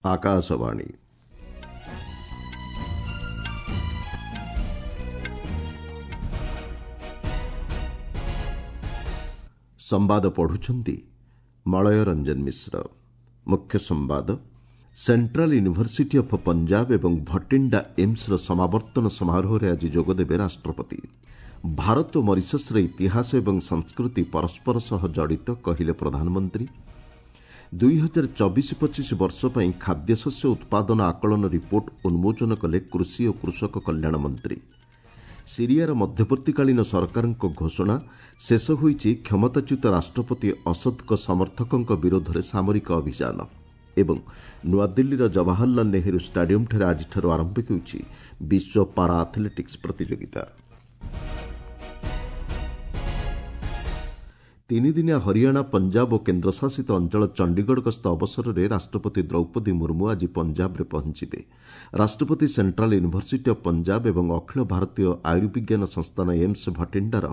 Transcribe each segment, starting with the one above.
ଆକାଶବାଣୀ। ସମ୍ବାଦ ପଢୁଛନ୍ତି ମଳୟ ରଞ୍ଜନ ମିଶ୍ର। ମୁଖ୍ୟ ସମ୍ବାଦ। ସେଣ୍ଟ୍ରାଲ ୟୁନିଭର୍ସିଟି ଅଫ୍ ପଞ୍ଜାବ ଏବଂ ଭଟିଣ୍ଡା ଏମ୍ସର ସମାବର୍ତ୍ତନ ସମାରୋହରେ ଆଜି ଯୋଗଦେବେ ରାଷ୍ଟ୍ରପତି। ଭାରତ ଓ ମରିସସ୍ର ଇତିହାସ ଏବଂ ସଂସ୍କୃତି ପରସ୍ପର ସହ ଜଡ଼ିତ, କହିଲେ ପ୍ରଧାନମନ୍ତ୍ରୀ। 2024-25 ବର୍ଷ ପାଇଁ ଖାଦ୍ୟଶସ୍ୟ ଉତ୍ପାଦନ ଆକଳନ ରିପୋର୍ଟ ଉନ୍ମୋଚନ କଲେ କୃଷି ଓ କୃଷକ କଲ୍ୟାଣ ମନ୍ତ୍ରୀ। ସିରିଆର ମଧ୍ୟବର୍ତ୍ତୀକାଳୀନ ସରକାରଙ୍କ ଘୋଷଣା, ଶେଷ ହୋଇଛି କ୍ଷମତାଚ୍ୟୁତ ରାଷ୍ଟ୍ରପତି ଅସଦଙ୍କ ସମର୍ଥକଙ୍କ ବିରୋଧରେ ସାମରିକ ଅଭିଯାନ। ଏବଂ ନୂଆଦିଲ୍ଲୀର ଜବାହରଲାଲ ନେହେରୁ ଷ୍ଟାଡିୟମ୍ଠାରେ ଆଜିଠାରୁ ଆରମ୍ଭ ହେଉଛି ବିଶ୍ୱ ପାରା ଆଥଲେଟିକ୍ସ ପ୍ରତିଯୋଗିତା। ତିନିଦିନିଆ ହରିୟାଣା, ପଞ୍ଜାବ ଓ କେନ୍ଦ୍ରଶାସିତ ଅଞ୍ଚଳ ଚଣ୍ଡିଗଡ଼ ଗସ୍ତ ଅବସରରେ ରାଷ୍ଟ୍ରପତି ଦ୍ରୌପଦୀ ମୁର୍ମୁ ଆଜି ପଞ୍ଜାବରେ ପହଞ୍ଚିବେ। ରାଷ୍ଟ୍ରପତି ସେଣ୍ଟ୍ରାଲ ୟୁନିଭର୍ସିଟି ଅଫ୍ ପଞ୍ଜାବ ଏବଂ ଅଖିଳ ଭାରତୀୟ ଆୟୁର୍ବିଜ୍ଞାନ ସଂସ୍ଥାନ ଏମ୍ସ ଭଟିଣ୍ଡାର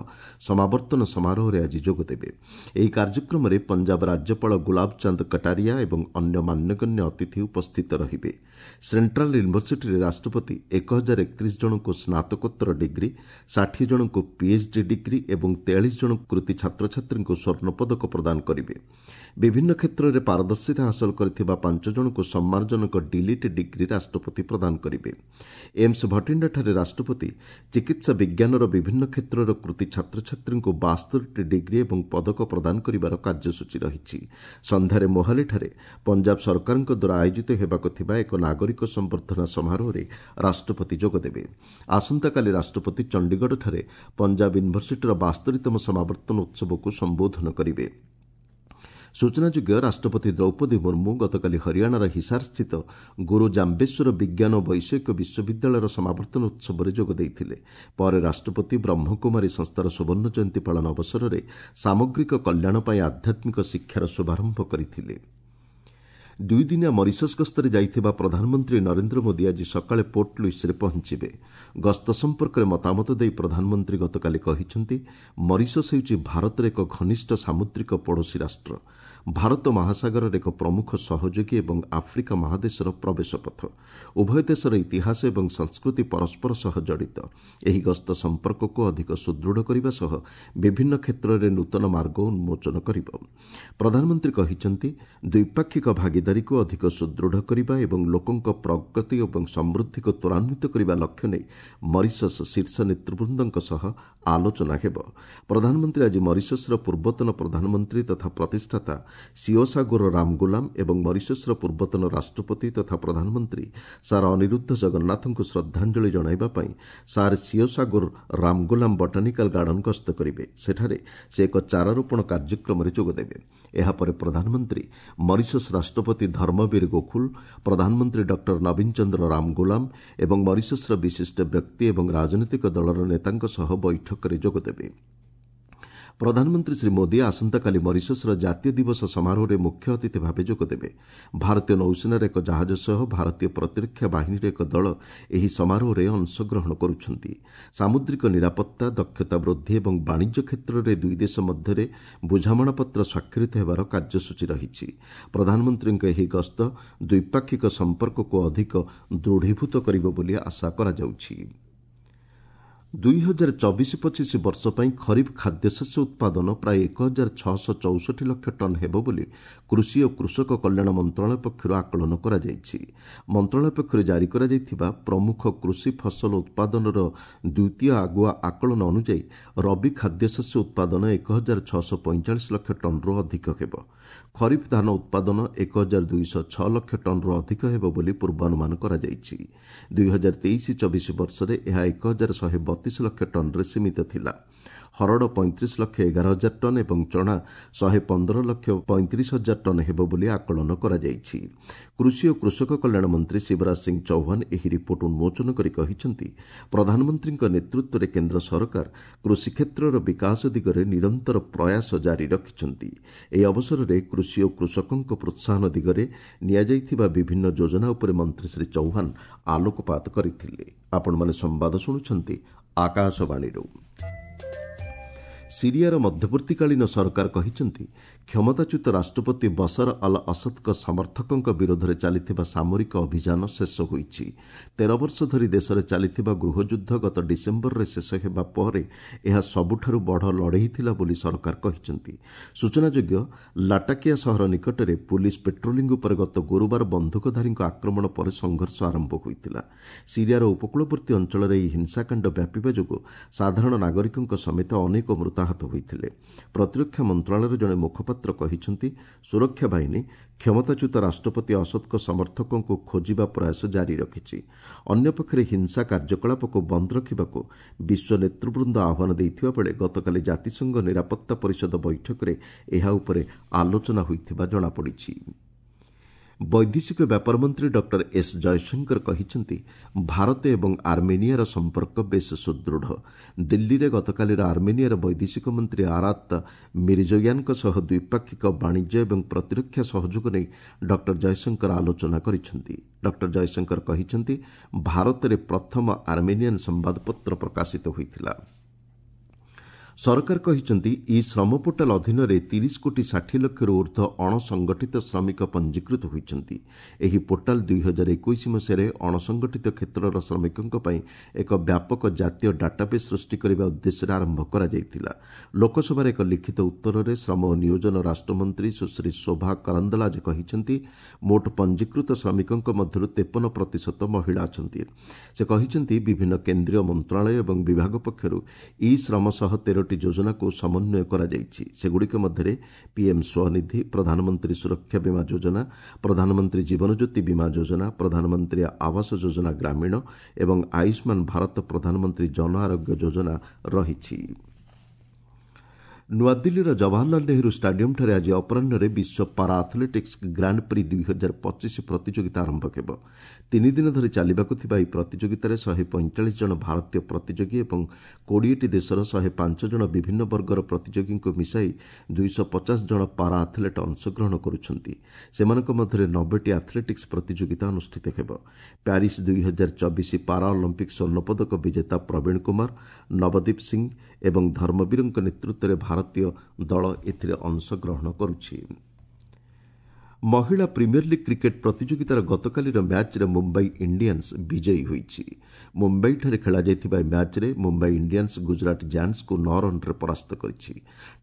ସମାବର୍ତ୍ତନ ସମାରୋହରେ ଆଜି ଯୋଗଦେବେ। ଏହି କାର୍ଯ୍ୟକ୍ରମରେ ପଞ୍ଜାବ ରାଜ୍ୟପାଳ ଗୁଲାବ ଚାନ୍ଦ କଟାରିଆ ଏବଂ ଅନ୍ୟ ମାନ୍ୟଗଣ୍ୟ ଅତିଥି ଉପସ୍ଥିତ ରହିବେ। ସେଣ୍ଟ୍ରାଲ ୟୁନିଭର୍ସିଟିରେ ରାଷ୍ଟ୍ରପତି 1031 ଜଣଙ୍କୁ ସ୍ନାତକୋତ୍ତର ଡିଗ୍ରୀ, 60 ଜଣଙ୍କୁ ପିଏଚ୍ଡି ଡିଗ୍ରୀ ଏବଂ 43 ଜଣ କୃତି ଛାତ୍ରଛାତ୍ରୀଙ୍କୁ ସ୍ୱର୍ଣ୍ଣପଦକ ପ୍ରଦାନ କରିବେ। ବିଭିନ୍ନ କ୍ଷେତ୍ରରେ ପାରଦର୍ଶିତା ହାସଲ କରିଥିବା 5 ଜଣଙ୍କୁ ସମ୍ମାନଜନକ ଡିଲିଟ୍ ଡିଗ୍ରୀ ରାଷ୍ଟ୍ରପତି ପ୍ରଦାନ କରିବେ। ଏମ୍ସ ଭଟିଣ୍ଡାଠାରେ ରାଷ୍ଟ୍ରପତି ଚିକିତ୍ସା ବିଜ୍ଞାନର ବିଭିନ୍ନ କ୍ଷେତ୍ରର କୃତି ଛାତ୍ରଛାତ୍ରୀଙ୍କୁ 72ଟି ଡିଗ୍ରୀ ଏବଂ ପଦକ ପ୍ରଦାନ କରିବାର କାର୍ଯ୍ୟସୂଚୀ ରହିଛି। ସନ୍ଧ୍ୟାରେ ମୋହାଲିଠାରେ ପଞ୍ଜାବ ସରକାରଙ୍କ ଦ୍ୱାରା ଆୟୋଜିତ ହେବାକୁ ଥିବା ଏକ ନାଗରିକ ସମ୍ବର୍ଦ୍ଧନା ସମାରୋହରେ ରାଷ୍ଟ୍ରପତି ଯୋଗଦେବେ। ଆସନ୍ତାକାଲି ରାଷ୍ଟ୍ରପତି ଚଣ୍ଡିଗଡ଼ଠାରେ ପଞ୍ଜାବ ୟୁନିଭର୍ସିଟିର 72ତମ ସମାବର୍ତ୍ତନ ଉତ୍ସବକୁ ସମ୍ବୋଧନ କରିବେ। ସୂଚନାଯୋଗ୍ୟ, ରାଷ୍ଟ୍ରପତି ଦ୍ରୌପଦୀ ମୁର୍ମୁ ଗତକାଲି ହରିୟାଣାର ହିସାରସ୍ଥିତ ଗୁରୁ ଜାମ୍ବେଶ୍ୱର ବିଜ୍ଞାନ ଓ ବୈଷୟିକ ବିଶ୍ୱବିଦ୍ୟାଳୟର ସମାବର୍ତ୍ତନ ଉତ୍ସବରେ ଯୋଗ ଦେଇଥିଲେ। ପରେ ରାଷ୍ଟ୍ରପତି ବ୍ରହ୍ମକୁମାରୀ ସଂସ୍ଥାର ସୁବର୍ଣ୍ଣ ଜୟନ୍ତୀ ପାଳନ ଅବସରରେ ସାମଗ୍ରିକ କଲ୍ୟାଣ ପାଇଁ ଆଧ୍ୟାତ୍ମିକ ଶିକ୍ଷାର ଶୁଭାରମ୍ଭ କରିଥିଲେ। ଦୁଇଦିନିଆ ମରିସସ୍ ଗସ୍ତରେ ଯାଇଥିବା ପ୍ରଧାନମନ୍ତ୍ରୀ ନରେନ୍ଦ୍ର ମୋଦି ଆଜି ସକାଳେ ପୋର୍ଟ ଲୁଇସ୍ରେ ପହଞ୍ଚିବେ। ଗସ୍ତ ସମ୍ପର୍କରେ ମତାମତ ଦେଇ ପ୍ରଧାନମନ୍ତ୍ରୀ ଗତକାଲି କହିଛନ୍ତି, ମରିସସ୍ ହେଉଛି ଭାରତର ଏକ ଘନିଷ୍ଠ ସାମୁଦ୍ରିକ ପଡ଼ୋଶୀ ରାଷ୍ଟ୍ର, ଭାରତ ମହାସାଗରର ଏକ ପ୍ରମୁଖ ସହଯୋଗୀ ଏବଂ ଆଫ୍ରିକା ମହାଦେଶର ପ୍ରବେଶ ପଥ। ଉଭୟ ଦେଶର ଇତିହାସ ଏବଂ ସଂସ୍କୃତି ପରସ୍ପର ସହ ଜଡ଼ିତ। ଏହି ଗସ୍ତ ସମ୍ପର୍କକୁ ଅଧିକ ସୁଦୃଢ଼ କରିବା ସହ ବିଭିନ୍ନ କ୍ଷେତ୍ରରେ ନୂତନ ମାର୍ଗ ଉନ୍ମୋଚନ କରିବ। ପ୍ରଧାନମନ୍ତ୍ରୀ କହିଛନ୍ତି, ଦ୍ୱିପାକ୍ଷିକ ଭାଗିଦାରୀକୁ ଅଧିକ ସୁଦୃଢ଼ କରିବା ଏବଂ ଲୋକଙ୍କ ପ୍ରଗତି ଏବଂ ସମୃଦ୍ଧିକୁ ତ୍ୱରାନ୍ୱିତ କରିବା ଲକ୍ଷ୍ୟ ନେଇ ମରିସସ୍ ଶୀର୍ଷ ନେତୃବୃନ୍ଦଙ୍କ ସହ ଆଲୋଚନା ହେବ। ପ୍ରଧାନମନ୍ତ୍ରୀ ଆଜି ମରିସସ୍ର ପୂର୍ବତନ ପ୍ରଧାନମନ୍ତ୍ରୀ ତଥା ପ୍ରତିଷ୍ଠାତା ସିଓସାଗୋର ରାମଗୁଲାମ ଏବଂ ମରିସସ୍ର ପୂର୍ବତନ ରାଷ୍ଟ୍ରପତି ତଥା ପ୍ରଧାନମନ୍ତ୍ରୀ ସାର୍ ଅନିରୁଦ୍ଧ ଜଗନ୍ନାଥଙ୍କୁ ଶ୍ରଦ୍ଧାଞ୍ଜଳି ଜଣାଇବା ପାଇଁ ସାର୍ ସିଓସାଗୋର ରାମଗୁଲାମ ବଟାନିକାଲ ଗାର୍ଡନ ଗସ୍ତ କରିବେ। ସେଠାରେ ସେ ଏକ ଚାରାରୋପଣ କାର୍ଯ୍ୟକ୍ରମରେ ଯୋଗଦେବେ। ଏହାପରେ ପ୍ରଧାନମନ୍ତ୍ରୀ ମରିସସ୍ ରାଷ୍ଟ୍ରପତି ଧର୍ମବୀର ଗୋଖୁଲ, ପ୍ରଧାନମନ୍ତ୍ରୀ ଡକ୍ଟର ନବୀନ ଚନ୍ଦ୍ର ରାମଗୁଲାମ ଏବଂ ମରିସସ୍ର ବିଶିଷ୍ଟ ବ୍ୟକ୍ତି ଏବଂ ରାଜନୈତିକ ଦଳର ନେତାଙ୍କ ସହ ବୈଠକରେ ଯୋଗଦେବେ। ପ୍ରଧାନମନ୍ତ୍ରୀ ଶ୍ରୀ ମୋଦି ଆସନ୍ତାକାଲି ମରିସସ୍ର ଜାତୀୟ ଦିବସ ସମାରୋହରେ ମୁଖ୍ୟ ଅତିଥି ଭାବେ ଯୋଗଦେବେ। ଭାରତୀୟ ନୌସେନାର ଏକ ଜାହାଜ ସହ ଭାରତୀୟ ପ୍ରତିରକ୍ଷା ବାହିନୀର ଏକ ଦଳ ଏହି ସମାରୋହରେ ଅଂଶଗ୍ରହଣ କରୁଛନ୍ତି। ସାମୁଦ୍ରିକ ନିରାପତ୍ତା, ଦକ୍ଷତା ବୃଦ୍ଧି ଏବଂ ବାଣିଜ୍ୟ କ୍ଷେତ୍ରରେ ଦୁଇ ଦେଶ ମଧ୍ୟରେ ବୁଝାମଣାପତ୍ର ସ୍ୱାକ୍ଷରିତ ହେବାର କାର୍ଯ୍ୟସୂଚୀ ରହିଛି। ପ୍ରଧାନମନ୍ତ୍ରୀଙ୍କ ଏହି ଗସ୍ତ ଦ୍ୱିପାକ୍ଷିକ ସମ୍ପର୍କକୁ ଅଧିକ ଦୃଢ଼ୀଭୂତ କରିବ ବୋଲି ଆଶା କରାଯାଉଛି। 2024-25 ବର୍ଷ ପାଇଁ ଖରିଫ ଖାଦ୍ୟଶସ୍ୟ ଉତ୍ପାଦନ ପ୍ରାୟ 1664 ଲକ୍ଷ ଟନ୍ ହେବ ବୋଲି କୃଷି ଓ କୃଷକ କଲ୍ୟାଣ ମନ୍ତ୍ରଣାଳୟ ପକ୍ଷରୁ ଆକଳନ କରାଯାଇଛି। ମନ୍ତ୍ରଣାଳୟ ପକ୍ଷରୁ ଜାରି କରାଯାଇଥିବା ପ୍ରମୁଖ କୃଷି ଫସଲ ଉତ୍ପାଦନର ଦ୍ୱିତୀୟ ଆଗୁଆ ଆକଳନ ଅନୁଯାୟୀ ରବି ଖାଦ୍ୟଶସ୍ୟ ଉତ୍ପାଦନ 1645 ଲକ୍ଷ ଟନ୍ରୁ ଅଧିକ ହେବ। ଖରିଫ ଧାନ ଉତ୍ପାଦନ 1206 ଲକ୍ଷ ଟନ୍ରୁ ଅଧିକ ହେବ ବୋଲି ପୂର୍ବାନୁମାନ କରାଯାଇଛି। 2023-24 ବର୍ଷରେ ଏହା 1132 ଲକ୍ଷ ଟନ୍ରେ ସୀମିତ ଥିଲା। ହରଡ଼ 35 ଲକ୍ଷ 11 ହଜାର ଟନ୍ ଏବଂ ଚଣା 115 ଲକ୍ଷ 35 ହଜାର ଟନ୍ ହେବ ବୋଲି ଆକଳନ କରାଯାଇଛି। କୃଷି ଓ କୃଷକ କଲ୍ୟାଣ ମନ୍ତ୍ରୀ ଶିବରାଜ ସିଂ ଚୌହାନ ଏହି ରିପୋର୍ଟ ଉନ୍ମୋଚନ କରି କହିଛନ୍ତି, ପ୍ରଧାନମନ୍ତ୍ରୀଙ୍କ ନେତୃତ୍ୱରେ କେନ୍ଦ୍ର ସରକାର କୃଷି କ୍ଷେତ୍ରର ବିକାଶ ଦିଗରେ ନିରନ୍ତର ପ୍ରୟାସ ଜାରି ରଖିଛନ୍ତି। ଏହି ଅବସରରେ କୃଷି ଓ କୃଷକଙ୍କ ପ୍ରୋତ୍ସାହନ ଦିଗରେ ନିଆଯାଇଥିବା ବିଭିନ୍ନ ଯୋଜନା ଉପରେ ମନ୍ତ୍ରୀ ଶ୍ରୀ ଚୌହାନ ଆଲୋକପାତ କରିଥିଲେ। ଆପଣମାନେ ସମ୍ବାଦ ଶୁଣୁଛନ୍ତି ଆକାଶବାଣୀରୁ। ସିରିଆର ମଧ୍ୟବର୍ତ୍ତୀକାଳୀନ ସରକାର କହିଛନ୍ତି, କ୍ଷମତାଚ୍ୟୁତ ରାଷ୍ଟ୍ରପତି ବସର ଅଲ ଅସଦଙ୍କ ସମର୍ଥକଙ୍କ ବିରୋଧରେ ଚାଲିଥିବା ସାମରିକ ଅଭିଯାନ ଶେଷ ହୋଇଛି। 13 ବର୍ଷ ଧରି ଦେଶରେ ଚାଲିଥିବା ଗୃହଯୁଦ୍ଧ ଗତ ଡିସେମ୍ବରରେ ଶେଷ ହେବା ପରେ ଏହା ସବୁଠାରୁ ବଡ଼ ଲଢ଼େଇ ଥିଲା ବୋଲି ସରକାର କହିଛନ୍ତି। ସୂଚନାଯୋଗ୍ୟ, ଲାଟାକିଆ ସହର ନିକଟରେ ପୁଲିସ୍ ପେଟ୍ରୋଲିଂ ଉପରେ ଗତ ଗୁରୁବାର ବନ୍ଧୁକଧାରୀଙ୍କ ଆକ୍ରମଣ ପରେ ସଂଘର୍ଷ ଆରମ୍ଭ ହୋଇଥିଲା। ସିରିଆର ଉପକୂଳବର୍ତ୍ତୀ ଅଞ୍ଚଳରେ ଏହି ହିଂସାକାଣ୍ଡ ବ୍ୟାପିବା ଯୋଗୁଁ ସାଧାରଣ ନାଗରିକଙ୍କ ସମେତ ଅନେକ ମୃତାହତ ହୋଇଥିଲେ। ପ୍ରତିରକ୍ଷା ମନ୍ତ୍ରଣାଳୟର ଜଣେ ମୁଖପାତ୍ର କହିଛନ୍ତି, ସୁରକ୍ଷା ବାହିନୀ କ୍ଷମତାଚ୍ୟୁତ ରାଷ୍ଟ୍ରପତି ଅସଦଙ୍କ ସମର୍ଥକଙ୍କୁ ଖୋଜିବା ପ୍ରୟାସ ଜାରି ରଖିଛି। ଅନ୍ୟପକ୍ଷରେ ହିଂସା କାର୍ଯ୍ୟକଳାପକୁ ବନ୍ଦ ରଖିବାକୁ ବିଶ୍ୱ ନେତୃବୃନ୍ଦ ଆହ୍ୱାନ ଦେଇଥିବା ବେଳେ ଗତକାଲି ଜାତିସଂଘ ନିରାପତ୍ତା ପରିଷଦ ବୈଠକରେ ଏହା ଉପରେ ଆଲୋଚନା ହୋଇଥିବା ଜଣାପଡ଼ିଛି। ବୈଦେଶିକ ବ୍ୟାପାର ମନ୍ତ୍ରୀ ଡକ୍ଟର ଏସ୍ ଜୟଶଙ୍କର କହିଛନ୍ତି, ଭାରତ ଏବଂ ଆର୍ମେନିଆର ସମ୍ପର୍କ ବେଶ୍ ସୁଦୃଢ଼। ଦିଲ୍ଲୀରେ ଗତକାଲିର ଆର୍ମେନିଆର ବୈଦେଶିକ ମନ୍ତ୍ରୀ ଆରାତ ମିରିଜୋୟାନଙ୍କ ସହ ଦ୍ୱିପାକ୍ଷିକ ବାଣିଜ୍ୟ ଏବଂ ପ୍ରତିରକ୍ଷା ସହଯୋଗ ନେଇ ଡକ୍ଟର ଜୟଶଙ୍କର ଆଲୋଚନା କରିଛନ୍ତି। ଡକ୍ଟର ଜୟଶଙ୍କର କହିଛନ୍ତି, ଭାରତରେ ପ୍ରଥମ ଆର୍ମେନିଆନ୍ ସମ୍ବାଦପତ୍ର ପ୍ରକାଶିତ ହୋଇଥିଲା। ସରକାର କହିଛନ୍ତି, ଇ ଶ୍ରମ ପୋର୍ଟାଲ ଅଧୀନରେ 30 କୋଟି 60 ଲକ୍ଷରୁ ଉର୍ଦ୍ଧ୍ୱ ଅଣସଂଗଠିତ ଶ୍ରମିକ ପଞ୍ଜୀକୃତ ହୋଇଛନ୍ତି। ଏହି ପୋର୍ଟାଲ 2021 ମସିହାରେ ଅଣସଂଗଠିତ କ୍ଷେତ୍ରର ଶ୍ରମିକଙ୍କ ପାଇଁ ଏକ ବ୍ୟାପକ ଜାତୀୟ ଡାଟାବେସ୍ ସୃଷ୍ଟି କରିବା ଉଦ୍ଦେଶ୍ୟରେ ଆରମ୍ଭ କରାଯାଇଥିଲା। ଲୋକସଭାରେ ଏକ ଲିଖିତ ଉତ୍ତରରେ ଶ୍ରମ ଓ ନିୟୋଜନ ରାଷ୍ଟ୍ରମନ୍ତ୍ରୀ ସୁଶ୍ରୀ ଶୋଭା କରନ୍ଦଲାଜେ କହିଛନ୍ତି, ମୋଟ ପଞ୍ଜୀକୃତ ଶ୍ରମିକଙ୍କ ମଧ୍ୟରୁ 53% ମହିଳା ଅଛନ୍ତି। ସେ କହିଛନ୍ତି, ବିଭିନ୍ନ କେନ୍ଦ୍ରୀୟ ମନ୍ତ୍ରଣାଳୟ ଏବଂ ବିଭାଗ ପକ୍ଷରୁ ଇ ଶ୍ରମ ସହ 13ଟି ଯୋଜନାକୁ ସମନ୍ୱୟ କରାଯାଇଛି। ସେଗୁଡ଼ିକ ମଧ୍ୟରେ ପିଏମ୍ ସ୍ୱନିଧି, ପ୍ରଧାନମନ୍ତ୍ରୀ ସୁରକ୍ଷା ବୀମା ଯୋଜନା, ପ୍ରଧାନମନ୍ତ୍ରୀ ଜୀବନଜ୍ୟୋତି ବୀମା ଯୋଜନା, ପ୍ରଧାନମନ୍ତ୍ରୀ ଆବାସ ଯୋଜନା ଗ୍ରାମୀଣ ଏବଂ ଆୟୁଷ୍ମାନ ଭାରତ ପ୍ରଧାନମନ୍ତ୍ରୀ ଜନ ଆରୋଗ୍ୟ ଯୋଜନା ରହିଛି। ନୂଆଦିଲ୍ଲୀର ଜବାହରଲାଲ ନେହେରୁ ଷ୍ଟାଡିୟମ୍ଠାରେ ଆଜି ଅପରାହ୍ନରେ ବିଶ୍ୱ ପାରା ଆଥଲେଟିକ୍ସ ଗ୍ରାଣ୍ଡ ପ୍ରି 2025 ପ୍ରତିଯୋଗିତା ଆରମ୍ଭ ହେବ। 3 ଦିନ ଧରି ଚାଲିବାକୁ ଥିବା ଏହି ପ୍ରତିଯୋଗିତାରେ 145 ଜଣ ଭାରତୀୟ ପ୍ରତିଯୋଗୀ ଏବଂ 20ଟି ଦେଶର 105 ଜଣ ବିଭିନ୍ନ ବର୍ଗର ପ୍ରତିଯୋଗୀଙ୍କୁ ମିଶାଇ 250 ଜଣ ପାରା ଆଥଲେଟ୍ ଅଂଶଗ୍ରହଣ କରୁଛନ୍ତି। ସେମାନଙ୍କ ମଧ୍ୟରେ 90ଟି ଆଥଲେଟିକ୍ସ ପ୍ରତିଯୋଗିତା ଅନୁଷ୍ଠିତ ହେବ। ପ୍ୟାରିସ୍ 2024 ପାରା ଅଲିମ୍ପିକ୍ ସ୍ୱର୍ଣ୍ଣପଦକ ବିଜେତା ପ୍ରବୀଣ କୁମାର, ନବଦୀପ ସିଂ ଏବଂ ଧର୍ମବୀରଙ୍କ ନେତୃତ୍ୱରେ ଭାରତୀୟ ଦଳ ଏଥିରେ ଅଂଶଗ୍ରହଣ କରୁଛି। ମହିଳା ପ୍ରିମିୟର ଲିଗ୍ କ୍ରିକେଟ୍ ପ୍ରତିଯୋଗିତାର ଗତକାଲିର ମ୍ୟାଚ୍ରେ ମୁମ୍ବାଇ ଇଣ୍ଡିଆନ୍ସ ବିଜୟୀ ହୋଇଛି। ମୁମ୍ବାଇଠାରେ ଖେଳାଯାଇଥିବା ଏହି ମ୍ୟାଚ୍ରେ ମୁମ୍ବାଇ ଇଣ୍ଡିଆନ୍ସ ଗୁଜରାଟ ଜାୟାଣ୍ଟସ୍କୁ 9 ରନ୍ରେ ପରାସ୍ତ କରିଛି।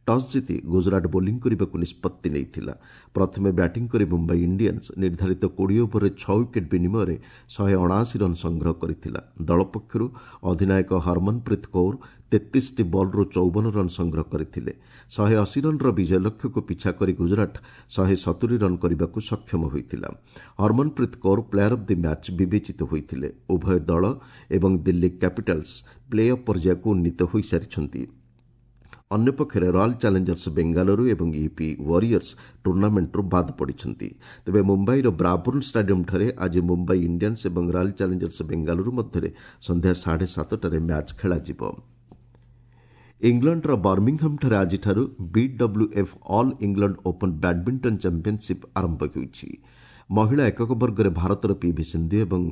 ଟସ୍ ଜିତି ଗୁଜରାଟ ବୋଲିଂ କରିବାକୁ ନିଷ୍ପତ୍ତି ନେଇଥିଲା। ପ୍ରଥମେ ବ୍ୟାଟିଂ କରି ମୁମ୍ବାଇ ଇଣ୍ଡିଆନ୍ସ ନିର୍ଦ୍ଧାରିତ 20 ଓଭରରେ 6 ୱିକେଟ୍ ବିନିମୟରେ 179 ରନ୍ ସଂଗ୍ରହ କରିଥିଲା। ଦଳ ପକ୍ଷରୁ ଅଧିନାୟକ ହରମନପ୍ରୀତ କୌର 33ଟି ବଲ୍ରୁ 54 ରନ୍ ସଂଗ୍ରହ କରିଥିଲେ। 180 ରନ୍ର ବିଜୟ ଲକ୍ଷ୍ୟକୁ ପିଛା କରି ଗୁଜରାଟ 170 ରନ୍ କରିବାକୁ ସକ୍ଷମ ହୋଇଥିଲା। Harmanpreet Kaur player of the match ବିବେଚିତ ହୋଇଥିଲେ। ଉଭୟ ଦଳ ଏବଂ ଦିଲ୍ଲୀ କ୍ୟାପିଟାଲ୍ସ ପ୍ଲେ ଅଫ୍ ପର୍ଯ୍ୟାୟକୁ ଉନ୍ନୀତ ହୋଇସାରିଛନ୍ତି। ଅନ୍ୟପକ୍ଷରେ ରୟାଲ୍ ଚ୍ୟାଲେଞ୍ଜର୍ସ ବେଙ୍ଗାଲୁରୁ ଏବଂ ୟୁପି ୱାରିୟର୍ସ ଟୁର୍ଣ୍ଣାମେଣ୍ଟରୁ ବାଦ୍ ପଡ଼ିଛନ୍ତି। ତେବେ ମୁମ୍ବାଇର ବ୍ରାବୁର୍ଣ୍ଣ ଷ୍ଟାଡିୟମ୍ଠାରେ ଆଜି ମୁମ୍ବାଇ ଇଣ୍ଡିଆନ୍ସ ଏବଂ ରୟାଲ୍ ଚ୍ୟାଲେଞ୍ଜର୍ସ ବେଙ୍ଗାଲୁରୁ ମଧ୍ୟରେ ସନ୍ଧ୍ୟା 7:30ରେ ମ୍ୟାଚ୍ ଖେଳାଯିବ। ଇଂଲଣ୍ଡର ବର୍ମିଂହାମ୍ଠାରେ ଆଜିଠାରୁ BWF All England Open badminton championship ଆରମ୍ଭ ହେଉଛି। ମହିଳା ଏକକ ବର୍ଗରେ ଭାରତର ପିଭି ସିନ୍ଧୁ ଏବଂ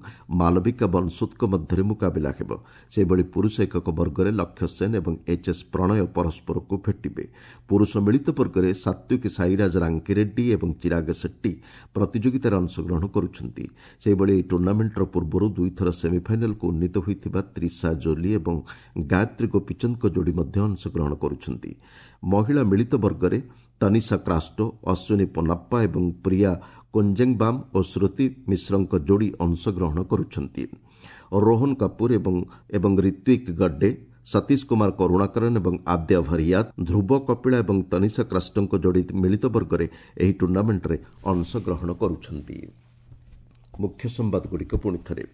ମାଲବିକା ବନସୋଦଙ୍କ ମଧ୍ୟରେ ମୁକାବିଲା ହେବ। ସେହିଭଳି ପୁରୁଷ ଏକକ ବର୍ଗରେ ଲକ୍ଷ୍ୟ ସେନ୍ ଏବଂ ଏଚ୍ଏସ୍ ପ୍ରଣୟ ପରସ୍ପରକୁ ଭେଟିବେ। ପୁରୁଷ ମିଳିତ ବର୍ଗରେ ସାତ୍ୱିକ ସାଇରାଜ ରାଙ୍କିରେଡ୍ଡି ଏବଂ ଚିରାଗ ସେଟ୍ଟି ପ୍ରତିଯୋଗିତାରେ ଅଂଶଗ୍ରହଣ କରୁଛନ୍ତି। ସେହିଭଳି ଏହି ଟୁର୍ଣ୍ଣାମେଣ୍ଟର ପୂର୍ବରୁ ଦୁଇଥର ସେମିଫାଇନାଲକୁ ଉନ୍ନୀତ ହୋଇଥିବା ତ୍ରିଶା ଜୋଲି ଏବଂ ଗାୟତ୍ରୀ ଗୋପୀଚନ୍ଦଙ୍କ ଯୋଡ଼ି ମଧ୍ୟ ଅଂଶଗ୍ରହଣ କରୁଛନ୍ତି। ମହିଳା ମିଳିତ ବର୍ଗରେ ତନିଷା କ୍ରାଷ୍ଟୋ, ଅଶ୍ୱିନୀ ପୋନାପ୍ପା ଏବଂ ପ୍ରିୟା କୋଞ୍ଜେଙ୍ଗବାମ୍ ଓ ଶ୍ରୁତି ମିଶ୍ରଙ୍କ ଯୋଡ଼ି ଅଂଶଗ୍ରହଣ କରୁଛନ୍ତି। ରୋହନ କପୁର ଏବଂ ରିତ୍ୱିକ ଗଡ୍ଡେ, ସତୀଶ କୁମାର କରୁଣାକରନ ଏବଂ ଆଦ୍ୟା ଭରିୟାତ, ଧ୍ରୁବ କପିଳା ଏବଂ ତନିଷା କ୍ରାଷ୍ଟୋଙ୍କ ଯୋଡ଼ି ମିଳିତ ବର୍ଗରେ ଏହି ଟୁର୍ଣ୍ଣାମେଣ୍ଟରେ ଅଂଶଗ୍ରହଣ କରୁଛନ୍ତି। ମୁଖ୍ୟ ସମ୍ବାଦଗୁଡ଼ିକ ପୁଣି ଥରେ।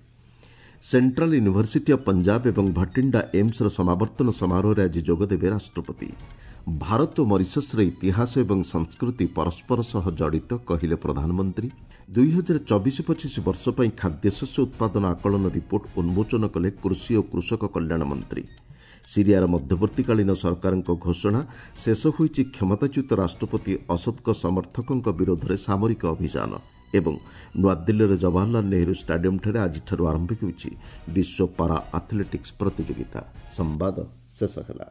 ସେଣ୍ଟ୍ରାଲ ୟୁନିଭର୍ସିଟି ଅଫ୍ ପଞ୍ଜାବ ଏବଂ ଭଟିଣ୍ଡା ଏମ୍ସର ସମାବର୍ତ୍ତନ ସମାରୋହରେ ଆଜି ଯୋଗଦେବେ ରାଷ୍ଟ୍ରପତି। ଭାରତ ଓ ମରିସସ୍ର ଇତିହାସ ଏବଂ ସଂସ୍କୃତି ପରସ୍ପର ସହ ଜଡ଼ିତ, କହିଲେ ପ୍ରଧାନମନ୍ତ୍ରୀ। 2024-25 ବର୍ଷ ପାଇଁ ଖାଦ୍ୟଶସ୍ୟ ଉତ୍ପାଦନ ଆକଳନ ରିପୋର୍ଟ ଉନ୍ମୋଚନ କଲେ କୃଷି ଓ କୃଷକ କଲ୍ୟାଣ ମନ୍ତ୍ରୀ। ସିରିଆର ମଧ୍ୟବର୍ତ୍ତୀକାଳୀନ ସରକାରଙ୍କ ଘୋଷଣା, ଶେଷ ହୋଇଛି କ୍ଷମତାଚ୍ୟୁତ ରାଷ୍ଟ୍ରପତି ଅସଦଙ୍କ ସମର୍ଥକଙ୍କ ବିରୋଧରେ ସାମରିକ ଅଭିଯାନ। ଏବଂ ନୂଆଦିଲ୍ଲୀର ଜବାହରଲାଲ ନେହେରୁ ଷ୍ଟାଡିୟମ୍ଠାରେ ଆଜିଠାରୁ ଆରମ୍ଭ ହେଉଛି ବିଶ୍ୱ ପାରା ଆଥଲେଟିକ୍ସ ପ୍ରତିଯୋଗିତା। ସମ୍ବାଦ ଶେଷ ହେଲା।